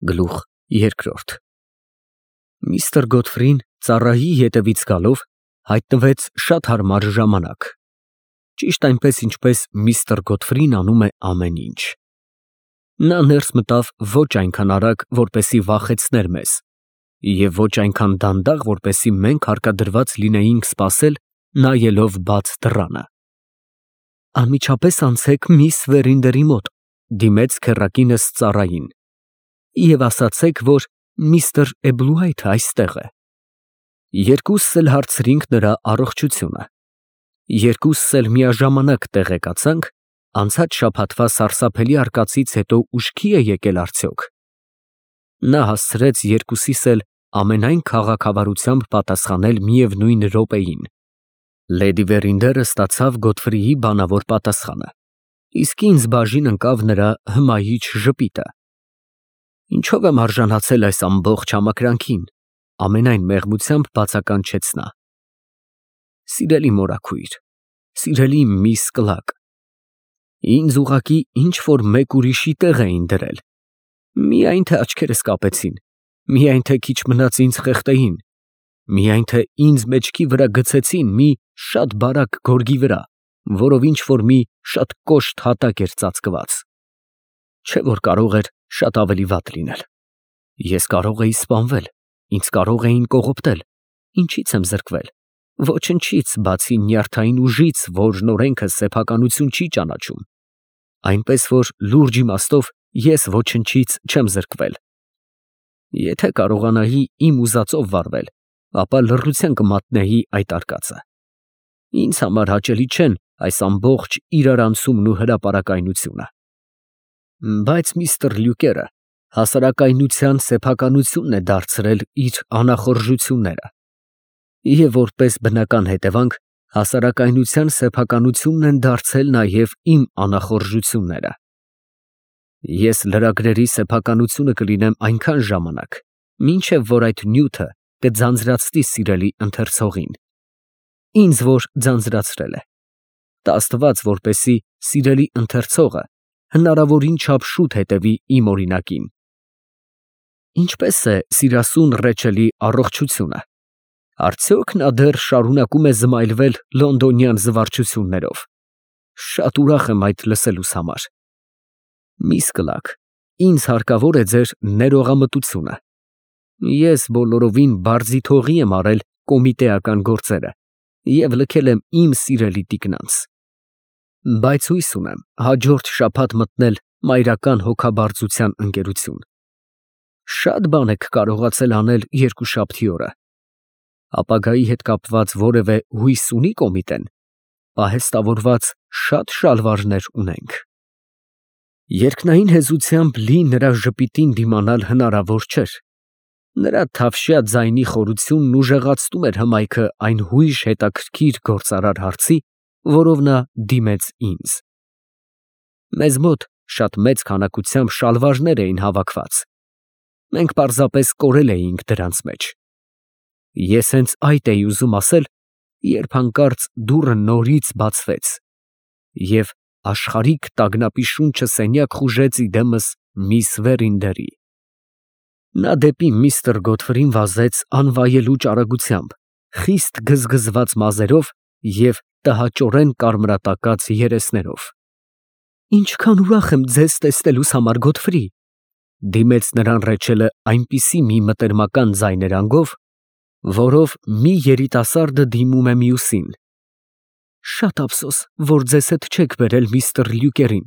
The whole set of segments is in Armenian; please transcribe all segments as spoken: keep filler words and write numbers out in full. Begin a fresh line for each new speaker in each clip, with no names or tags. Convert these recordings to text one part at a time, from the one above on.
Գլուխ երկրորդ Միստր Գոթֆրին ծառայի ետևից գալով հայտնվեց շատ հարմար ժամանակ, ճիշտ այնպես, ինչպես միստր Գոթֆրին անում է ամեն ինչ։ Նա ներս մտավ ոչ այնքան արագ, որպեսզի վախեցներ մեզ, և ոչ այնքան դանդաղ, որպեսզի մենք հարկադրված լինեինք սպասել, նայելով բաց դռանը։ Անմիջապես անցեք միս Վերինդերի մոտ, դիմեց քեռակինս ծառային, և ասացեք, որ միստր Էբլուայթը այստեղ է։ Երկուսս էլ հարցրինք նրա առողջությունը։ Երկուսս էլ միաժամանակ տեղեկացանք անցած շաբաթվա սարսափելի արկածից հետո ուշքի է եկել արդյոք։ Նա հասցրեց երկուսիս էլ ամենայն քաղաքավարությամբ պատասխանել միևնույն րոպեին։ Լեդի Վերինդերը ստացավ Գոթֆրիի բանավոր պատասխանը, իսկ ինձ բաժին ընկավ նրա հմայիչ ժպիտը։ Ինչո՞վ եմ արժանացել այս ամբողջ համակրանքին, ամենայն մեղմությամբ բացականչեց նա։ Սիրելի մորաքույր, սիրելի միս Կլագ, ինձ ուղղակի ինչ֊որ մեկ ուրիշի տեղ էին դրել, միայն թե աչքերս կապեցին, միայն թե քիչ մնաց ինձ խեղդեին, միայն թե ինձ մեջքի վրա գցեցին մի շատ բարակ գորգի վրա, որով ինչ֊որ մի շատ կոշտ հատակ էր ծածկված։ Չէ՞ որ կարող էր շատ ավելի վատ լինել։ Ես կարող էի սպանվել, ինձ կարող էին կողոպտել, ինչի՞ց եմ զրկվել։ Ոչնչից, բացի նյարդային ուժից, որն օրենքը սեփականություն չի ճանաչում, այնպես որ լուրջ իմաստով ես ոչնչից չեմ զրկվել։ Եթե կարողանայի իմ ուզածով վարվել, ապա լռության կմատնեի այդ արկածը։ Ինձ համար հաճելի չեն այս ամբողջ իրարանցումն ու հրապարակայնությունը։ Բայց միստր Լյուկերը հասարակայնության սեփականությունն է դարձրել իր անախորժությունները, և որպես բնական հետևանք, հասարակայնության սեփականությունն են դարձել նաև իմ անախորժությունները։ Ես լրագրերի սեփականությունը կլինեմ այնքան ժամանակ, մինչև որ այդ նյութը կձանձրացնի սիրելի ընթերցողին, ինձ որ ձանձրացրել է, տա Աստված, որպեսզի սիրելի ընթերցողը հնարավորին չափ շուտ հետևի իմ օրինակին։ Ինչպե՞ս է սիրասուն Ռեչելի առողջությունը, արդյոք նա դեռ շարունակում է զմայլվել լոնդոնյան զվարճություններով։ Շատ ուրախ եմ այդ լսելուս համար։ Միս Կլագ, ինձ հարկավոր է ձեր ներողամտությունը։ Ես բոլորովին բարձիթողի եմ արել կոմիտեական գործերը և լքել եմ իմ սիրելի տիկնանց։ Բայց հույս ունեմ հաջորդ շաբաթ մտնել մայրական հոգաբարձության ընկերություն։ Շատ բան եք կարողացել անել երկուշաբթի օրը։ Ապագայի հետ կապված որևէ հույս ունի կոմիտեն։ Պահեստավորված շատ շալվարներ ունենք։ Երկնային հեզությամբ լի նրա ժպիտին դիմանալ հնարավոր չէր։ Նրա թավշյա ձայնի խորությունն ուժեղացնում էր հմայքը այն հույժ հետաքրքիր գործարար հարցի, որով նա դիմեց ինձ։ Մեզ մոտ շատ մեծ քանակությամբ շալվարներ էին հավաքված։ Մենք պարզապես կորել էինք դրանց մեջ։ Ես հենց այդ էի ուզում ասել, երբ հանկարծ դուռը նորից բացվեց, և աշխարհիկ տագնապի շունչը սենյակ խուժեց իդեմս միս Վերինդերի։ Նա դեպի միստր Գոթֆրին վազեց անվայելուչ արագությամբ, խիստ գզգզված մազերով և տհաճորեն կարմրատակած երեսներով։ Ինչքան ուրախ եմ ձեզ տեսնելուս համար, Գոթֆրի, դիմեց նրան Ռեչելը այնպիսի մի մտերմական ձայներանգով, որով մի երիտասարդը դիմում է մյուսին։ Շատ ափսոս, որ ձեզ հետ չեք բերել միստր Լյուկերին,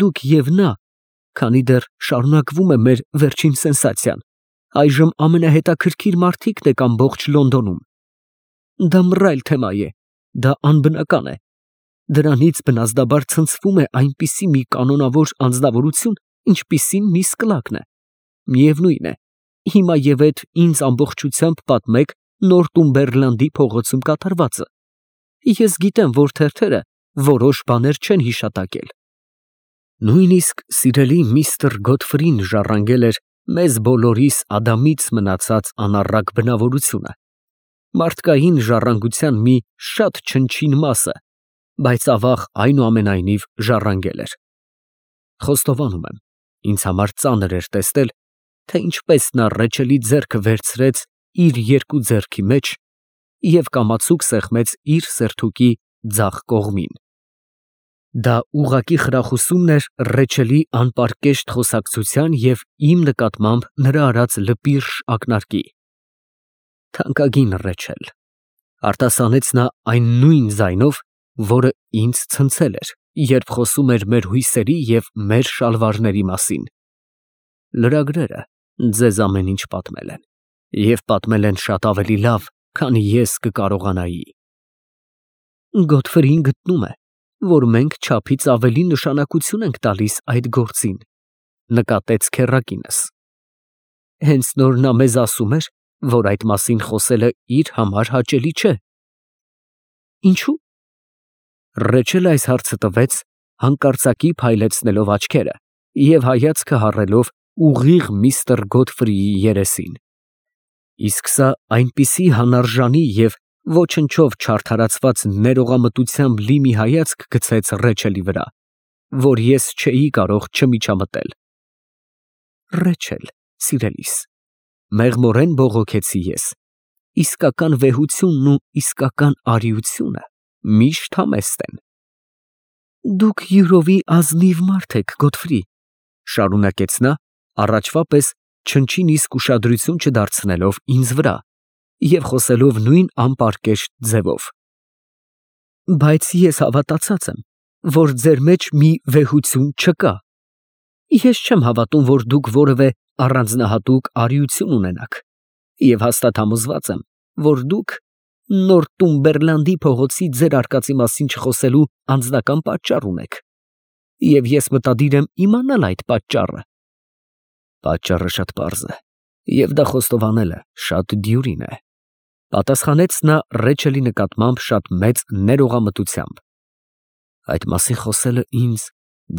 դուք և նա, քանի դեռ շարունակվում է մեր վերջին սենսացիան, այժմ ամենահետաքրքիր մարդիկն եք ամբողջ Լոնդոնում։ Դա մռայլ թեմա է, դա անբնական է, դրանից բնազդաբար ցնցվում է այնպիսի մի կանոնավոր անձնավորություն, ինչպիսին միս Կլագն է։ Միևնույն է, հիմա և էդ ինձ ամբողջությամբ պատմեք Նորտումբերլանդի փողոցում կատարվածը։ Ես գիտեմ, որ թերթերը որոշ բաներ չեն հիշատակել։ Նույնիսկ սիրելի միստր Գոթֆրին ժառանգել էր մեզ բոլորիս Ադամից մնացած անառակ բնավորությունը, մարդկային ժառանգության մի շատ չնչին մասը, բայց ավաղ այնուամենայնիվ ժառանգել էր։ Խոստովանում եմ, ինձ համար ծանր էր տեսնել, թե ինչպես նա Ռեչելի ձեռքը վերցրեց իր երկու ձեռքի մեջ և կամացուկ սեղմեց իր սերթուկի ձախ կողմին։ Դա ուղղակի խրախուսումն էր Ռեչելի անպարկեշտ խոսակցության և իմ նկատմամբ նրա արած լպիրշ ակնարկի։ «Թանկագին Ռեչել», արտասանեց նա այն նույն ձայնով, որը ինձ ցնցել էր, երբ խոսում էր մեր հույսերի և մեր շալվարների մասին, «լրագրերը ձեզ ամեն ինչ պատմել են, և պատմել են շատ ավելի լավ, քան ես կկարողանայի»։ Գոթֆրին գտնում է, որ մենք չափից ավելի նշանակություն ենք տալիս այդ գործին, նկատեց քեռակինս։ Հենց նոր նա մեզ ասում էր, որ այդ մասին խոսելը իր համար հաճելի չէ։ Ինչո՞ւ։ Ռեչելը այս հարցը տվեց, հանկարծակի փայլեցնելով աչքերը և հայացքը հառելով ուղիղ միստր Գոթֆրիի երեսին։ Իսկ սա այնպիսի հանարժանի և ոչնչով չարդարացված ներողամտությամբ լի մի հայացք գցեց Ռեչելի վրա, որ ես չէի կարող չմիջամտել։ Ռեչել, սիրելիս, մեղմորեն բողոքեցի ես, իսկական վեհությունն ու իսկական արիությունը միշտ համեստ են։ Դուք յուրովի ազնիվ մարդ եք, Գոթֆրի, շարունակեց նա, առաջվա պես չնչին իսկ ուշադրություն չդարձնելով ինձ վրա և խոսելով նույն անպարկեշտ ձևով։ Բայց ես հավատացած եմ, որ ձեր մեջ մի վեհություն չկա։ Ես չեմ հավատում, որ դուք որևէ առանձնահատուկ արիություն ունենաք, և հաստատ համոզված եմ, որ դուք Նորտումբերլանդի փողոցի ձեր արկածի մասին չխոսելու անձնական պատճառ ունեք, և ես մտադիր եմ իմանալ այդ պատճառը։ Պատճառը շատ պարզ է, և դա խոստովանելը շատ դյուրին է, պատասխանեց նա Ռեչելի նկատմամբ շատ մեծ ներողամտությամբ։ Այդ մասին խոսելը ինձ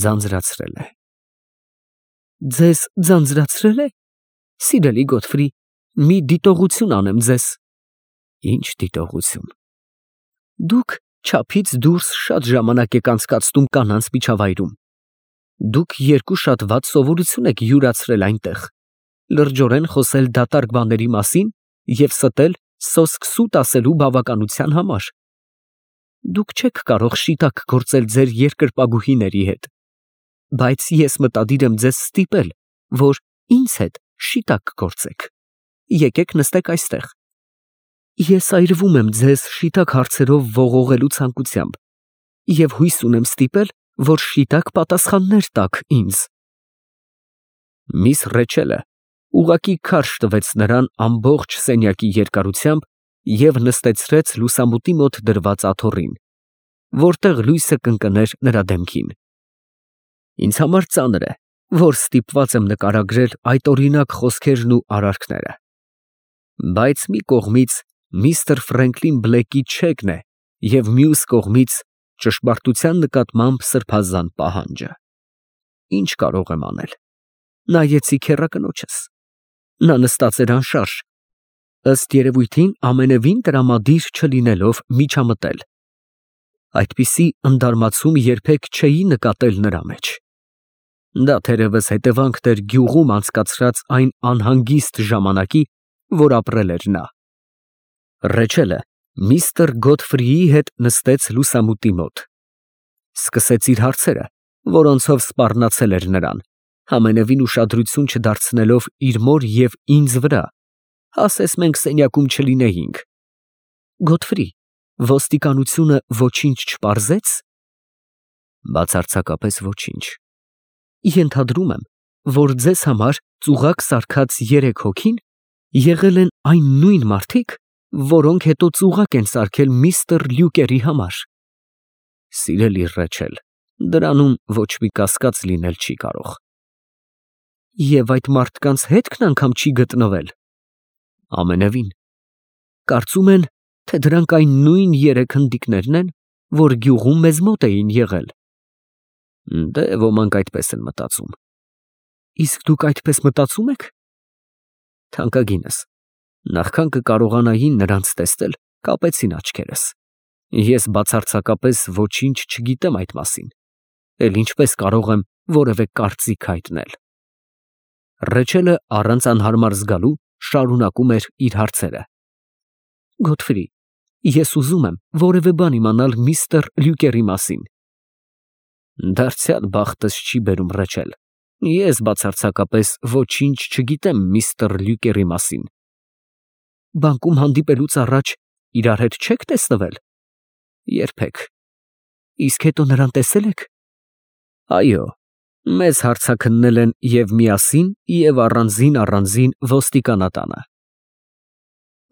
ձանձրացրել է։ Ձեզ ձանձրացրե՞լ է։ Սիրելի Գոթֆրի, մի դիտողություն անեմ ձեզ։ Ինչ դիտողություն։ Դուք չափից դուրս շատ ժամանակ եք անցկացնում կանանց միջավայրում։ Դուք երկու շատ վատ սովորություն եք յուրացրել այնտեղ, լրջորեն խոսել դատարկ բաների մասին և ստել սոսկ սուտ ասելու բավականության համար։ Դուք չեք կարող շիտակ գործել ձեր երկրպագուհիների հետ, բայց ես մտադիր եմ ձեզ ստիպել, որ ինձ հետ շիտակ գործեք։ Եկեք նստեք այստեղ։ Ես այրվում եմ ձեզ շիտակ հարցերով ողողելու ցանկությամբ և հույս ունեմ ստիպել, որ շիտակ պատասխաններ տաք ինձ։ Միս Ռեչելը ուղղակի քարշ տվեց նրան ամբողջ սենյակի երկարությամբ և նստեցրեց լուսամուտի մոտ դրված աթոռին, որտեղ լույսը կընկներ նրա դեմքին։ Ինձ համար ծանր է, որ ստիպված եմ նկարագրել այդ օրինակ խոսքերն ու արարքները, բայց մի կողմից միստր Ֆրենկլին Բլեքի չեքն է և մյուս կողմից ճշմարտության նկատմամբ սրբազան պահանջը։ Ինչ կարող եմ անել։ Նայեցի քեռակնոջս։ Նա նստած էր անշարժ, ըստ երևույթին ամենևին տրամադիր չլինելով միջամտել։ Այդպիսի ընդարմացում երբեք չէի նկատել նրա մեջ։ Դա թերևս հետևանքն էր գյուղում անցկացրած այն անհանգիստ ժամանակի, որ ապրել էր նա։ Ռեչելը միստր Գոթֆրիի հետ նստեց լուսամուտի մոտ։ Սկսեց իր հարցերը, որոնցով սպառնացել էր նրան, ամենևին ուշադրություն չդարձնելով իր մոր և ինձ վրա, ասես մենք սենյակում չլինեինք։ Գոթֆրի, ոստիկանությունը ոչինչ չպարզե՞ց։ Բացարձակապես ոչինչ։ Ենթադրում եմ, որ ձեզ համար ծուղակ սարքած երեք հոգին եղել են այն նույն մարդիկ, որոնք հետո ծուղակ են սարքել միստր Լյուկերի համար։ Սիրելի Ռեչել, դրանում ոչ մի կասկած լինել չի կարող։ Եվ այդ մարդկանց հետքն անգամ չի գտնվել։ Ամենևին։ Կարծում են, թե դրանք այն նույն երեք հնդիկներն են, որ գյուղում մեզ մոտ էին եղել։ Դե, ոմանք այդպես են մտածում։ Իսկ դուք այդպես մտածում եք։ Թանկագինս, նախքան կկարողանայի նրանց տեսնել, կապեցին աչքերս։ Ես բացարձակապես ոչինչ չգիտեմ այդ մասին, էլ ինչպես կարող եմ որևէ կարծիք հայտնել։ Ռեչելը առանց անհարմար զգալու շարունակում էր իր հարցերը։ Գոթֆրի, ես ուզում եմ որևէ բան իմանալ միստր Լյուկերի մասին։ Դարձյալ բախտս չի բերում, Ռեչել։ Ես բացարձակապես ոչինչ չգիտեմ միստր Լյուկերի մասին։ Բանկում հանդիպելուց առաջ իրար հետ չեք տեսնվել։ Երբեք։ Իսկ հետո նրան տեսել եք։ Այո, մեզ հարցաքննել են և միասին, և առանձին առանձին ոստիկանատանը։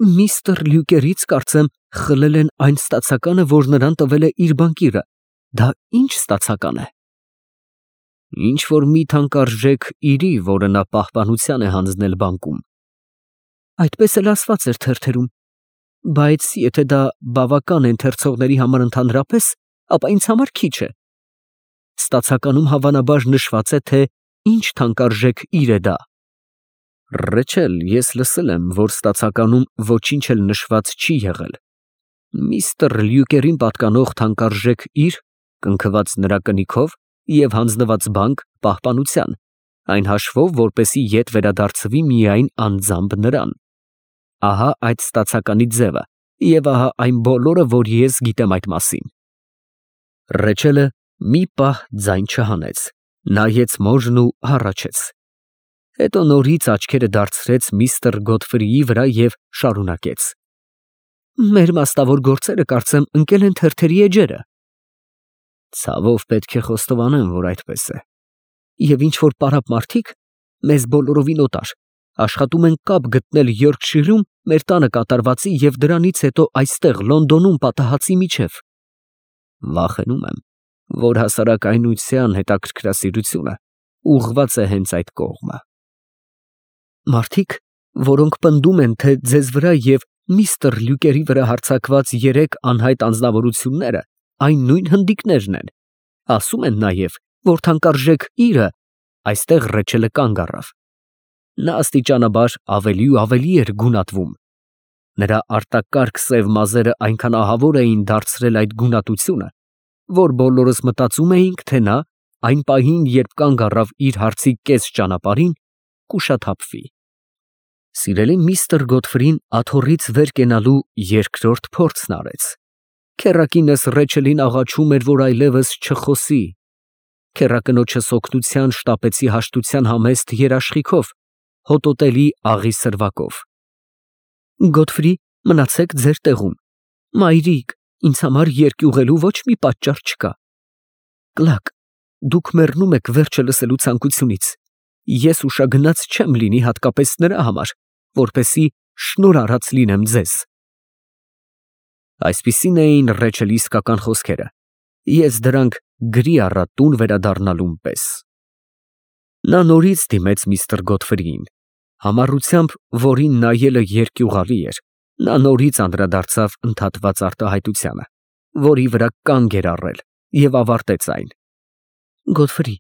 Միստր Լյուկերից, կարծեմ, խլել են այն ստացականը, որ նրան տվել է իր բանկիրը։ Դա ի՞նչ ստացական է։ Ինչ որ մի թանկարժեք իրի, որը նա պահպանության է հանձնել բանկում։ Այդպես էլ ասված էր թերթերում։ Բայց եթե դա բավական է ընթերցողների համար ընդհանրապես, ապա ինձ համար քիչ է։ Ստացականում հավանաբար նշված է, թե ինչ թանկարժեք իր է դա։ Ռեչել, ես լսել եմ, որ ստացականում ոչինչ էլ նշված չի եղել։ Միստր Լյուկերին պատկանող թանկարժեք իր, կնքված նրա կնիքով և հանձնված բանկ պահպանության, այն հաշվով, որպեսզի ետ վերադարձվի միայն անձամբ նրան։ Ահա այդ ստացականի ձևը, և ահա այն բոլորը, որ ես գիտեմ այդ մասին։ Ռեչելը մի պահ ձայն չհանեց, նայեց մորն ու հառաչեց։ Հետո նորից աչքերը դարձրեց միստր Գոթֆրիի վրա և շարունակեց. Մեր մասնավոր գործերը, կարծեմ, ընկել են թերթերի էջերը։ Ցավով պետք է խոստովանեմ, որ այդպես է։ Եվ ինչ որ պարապ մարդիկ, մեզ բոլորովին օտար, աշխատում են կապ գտնել Յորքշիրում մեր տանը կատարվածի և դրանից հետո այստեղ Լոնդոնում պատահածի միջև։ Վախենում եմ, որ հասարակայնության հետաքրքրասիրությունը ուղղված է հենց այդ կողմը։ Մարդիկ, որոնք պնդում են, թե ձեզ վրա և միստր Լյուկերի վրա հարձակված երեք անհայտ անձնավորությունները այն նույն հնդիկներն են, ասում են նաև, որ թանկարժեք իրը այստեղ Ռեչելը կանգ առավ։ Նա աստիճանաբար ավելի ու ավելի էր գունատվում։ Նրա արտակարգ սև մազերը այնքան ահավոր էին դարձրել այդ գունատությունը, որ բոլորս մտածում էինք, թե նա այն պահին, երբ կանգ առավ իր հարցի կես ճանապարհին, կուշաթափվի։ Սիրելի միստր Գոթֆրին աթոռից վեր կենալու երկրորդ փորձն արեց։ Քեռակինս Ռեչելին աղաչում էր, որ այլևս չխոսի։ Քեռակնոջս օգնության շտապեցի հաշտության համեստ երաշխիքով, հոտոտելի աղի սրվակով։ Գոթֆրի, մնացեք ձեր տեղում։ Մայրիկ, ինձ համար երկյուղելու ոչ մի պատճառ չկա։ Կլակ, դուք մեռնում եք վերջը լսելու ցանկությունից։ Ես ուշագնաց չեմ լինի հատկապես նրա համար, որպեսզի շնորհ արած լինեմ ձեզ։ Այսպիսին էին Ռեչելի իսկական խոսքերը։ Ես դրանք գրի առա տուն վերադառնալուն պես։ Նա նորից դիմեց միստր Գոթֆրիին։ Համառությամբ, որին նայելը երկյուղալի էր, նա նորից անդրադարձավ ընդհատված արտահայտությանը, որի վրա կանգ էր առել, և ավարտեց այն։ Գոթֆրի,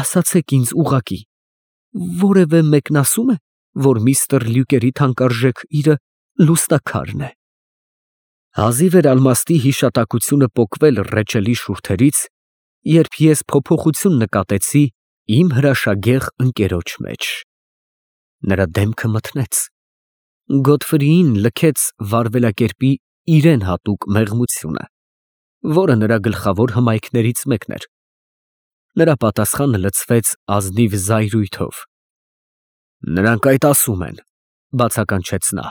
ասացեք ինձ ուղղակի, որևէ մեկն ասում է, որ միստր Լյուկերի թանկարժեք իրը լուստաքարն է։ Հազիվ էր ալմաստի հիշատակությունը պոկվել Ռեչելի շուրթերից, երբ ես փոփոխություն նկատեցի իմ հրաշագեղ ընկերոջ մեջ։ Նրա դեմքը մթնեց։ Գոթֆրիին լքեց վարվելակերպի իրեն հատուկ մեղմությունը, որը նրա գլխավոր հմայքներից մեկն էր։ Նրա պատասխանը լցվեց ազնիվ զայրույթով։ Նրանք այդ ասում են, բացականչեց նա։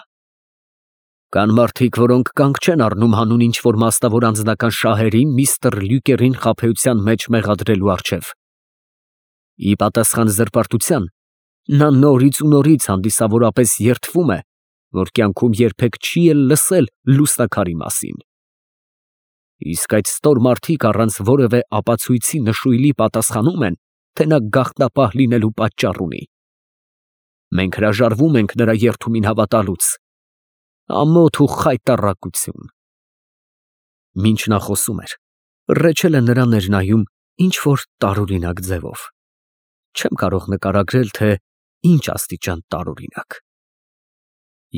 Կան մարդիկ, որոնք կանգ չեն առնում հանուն ինչ-որ մասնավոր անձնական շահերի միստր Լյուկերին խաբեության մեջ մեղադրելու առջև։ Ի պատասխան զրպարտության, նա նորից ու նորից հանդիսավորապես երդվում է, որ կյանքում երբեք չի էլ լսել լուստաքարի մասին։ Իսկ այդ ստոր մարդիկ առանց որևէ ապացույցի նշույլի պատասխանում են, թե նա գաղտնապահ լինելու պատճառ ունի։ Մենք հրաժարվում ենք նրա երդումին հավատալուց։ Ամոթ ու խայտառակություն։ Մինչ նա խոսում էր, Ռեչելը նրան էր նայում ինչ-որ տարօրինակ ձևով։ Չեմ կարող նկարագրել, թե ինչ աստիճան տարօրինակ։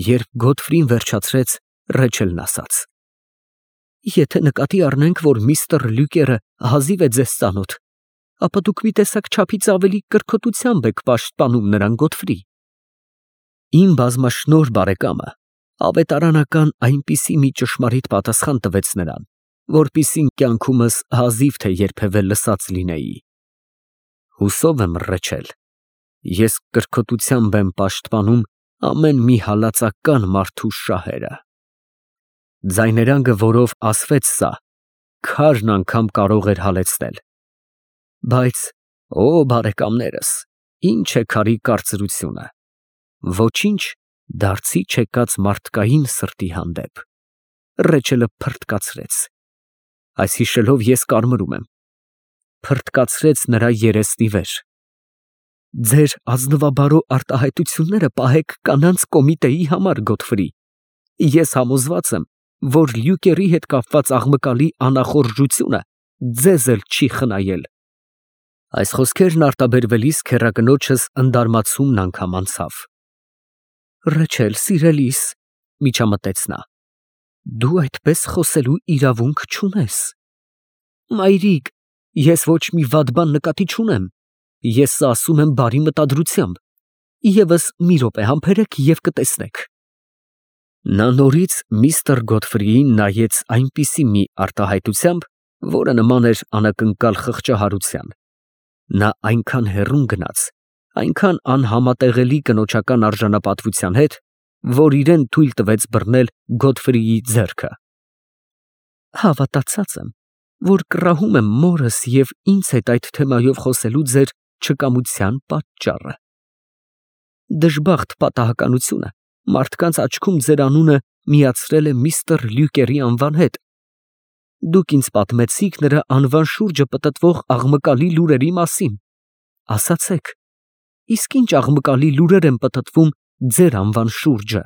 Երբ Գոթֆրին վերջացրեց, Ռեչելն ասաց. Եթե նկատի առնենք, որ միստր Լյուկերը հազիվ է ձեզ ծանոթ, ապա դուք մի տեսակ չափից ավելի կրքոտությամբ եք պաշտպանում նրան Գոթֆրի։ Իմ բազմաշնորհ բարեկամը ավետարանական այնպիսի մի ճշմարիտ պատասխան տվեց նրան, որպիսին կյանքումս հազիվ թե երբևէ լսած լինեի։ Հուսով եմ, Ռեչել, ես կրքոտությամբ եմ պաշտպանում ամեն մի հալածական մարդու շահերը։ Ձայներանգը, որով ասվեց սա, քարն անգամ կարող էր հալեցնել։ Բայց, օ բարեկամներս, ինչ է քարի կարծրությունը, ոչինչ դարձի չեկած մարդկային սրտի հանդեպ։ Ռեչելը փռթկացրեց։ Այս հիշելով ես կարմրում եմ։ Փռթկացրեց նրա երեսնի վեր։ Ձեր ազնվաբարո արտահայտությունները պահեք կանանց կոմիտեի համար, Գոթֆրի։ Ես համոզված եմ, որ Լյուկերի հետ կապված աղմկալի անախորժությունը ձեզ էլ չի խնայել։ Այս խոսքերն արտաբերվելիս քեռակնոջս ընդարմացումն անգամ անցավ։ Ռեչել, սիրելիս, միջամտեց նա, դու այդպես խոսելու իրավունք չունես։ Մայրիկ, ես ոչ մի վատ բան նկատի չունեմ, ես սա ասում եմ բարի մտադրությամբ, ևս մի րոպե համբերեք և կտեսնեք։ Նա նորից միստր Գոթֆրիին նայեց այնպիսի մի արտահայտությամբ, որը նման էր անակնկալ խղճահարության։ Նա այնքան հեռուն գնաց, այնքան անհամատեղելի կնոջական արժանապատվության հետ, որ իրան թույլ տվեց բռնել Գոթֆրիի ձեռքը։ Հավատացած եմ, որ կռահում եմ մորս և ինձ հետ այդ թեմայով խոսելու ձեր չկամության պատճառը։ Դժբախտ պատահականությունը մարդկանց աչքում ձեր անունը միացրել է միստր Լյուկերի անվան հետ։ Դուք ինձ պատմեցիք նրա անվան շուրջը պտտվող աղմկալի լուրերի մասին։ Ասացեք, իսկ ինչ աղմկալի լուրեր են պտտվում ձեր անվան շուրջը։